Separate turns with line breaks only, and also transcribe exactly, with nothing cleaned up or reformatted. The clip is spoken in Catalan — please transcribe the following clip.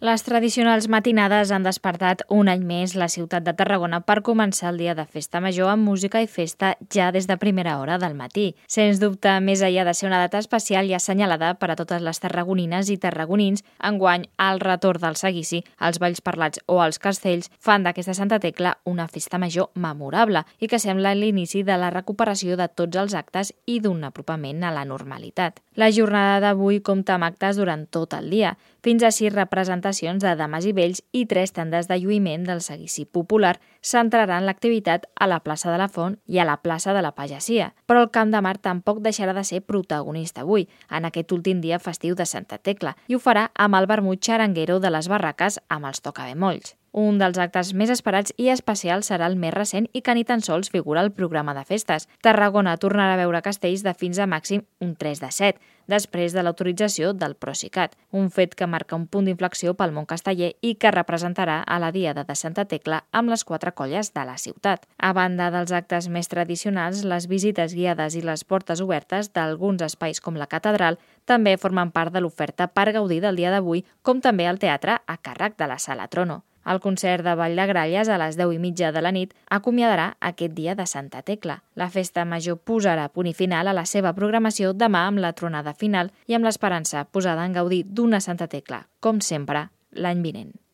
Les tradicionals matinades han despertat un any més la ciutat de Tarragona per començar el dia de festa major amb música i festa ja des de primera hora del matí. Sens dubte, més enllà de ser una data especial i assenyalada per a totes les tarragonines i tarragonins, enguany el retorn del seguici, els balls parlats o els castells fan d'aquesta Santa Tecla una festa major memorable i que sembla l'inici de la recuperació de tots els actes i d'un apropament a la normalitat. La jornada d'avui compta amb actes durant tot el dia, fins a sis representacions de dames i vells i tres tandes de lluïment del seguici popular centraran l'activitat a la plaça de la Font i a la plaça de la Pagesia. Però el Camp de Mar tampoc deixarà de ser protagonista avui, en aquest últim dia festiu de Santa Tecla, i ho farà amb el vermut xaranguero de les barraques amb els tocabemolls. Un dels actes més esperats i especials serà el més recent i que ni tan sols figura al programa de festes. Tarragona tornarà a veure castells de fins a màxim un tres de set, després de l'autorització del Procicat, un fet que marca un punt d'inflexió pel món casteller i que representarà a la Diada de Santa Tecla amb les quatre colles de la ciutat. A banda dels actes més tradicionals, les visites guiades i les portes obertes d'alguns espais com la catedral també formen part de l'oferta per gaudir del dia d'avui, com també el teatre a càrrec de la Sala Trono. El concert de Ball de Gralles a les deu i mitja de la nit acomiadarà aquest dia de Santa Tecla. La festa major posarà punt i final a la seva programació demà amb la tronada final i amb l'esperança posada en gaudir d'una Santa Tecla, com sempre, l'any vinent.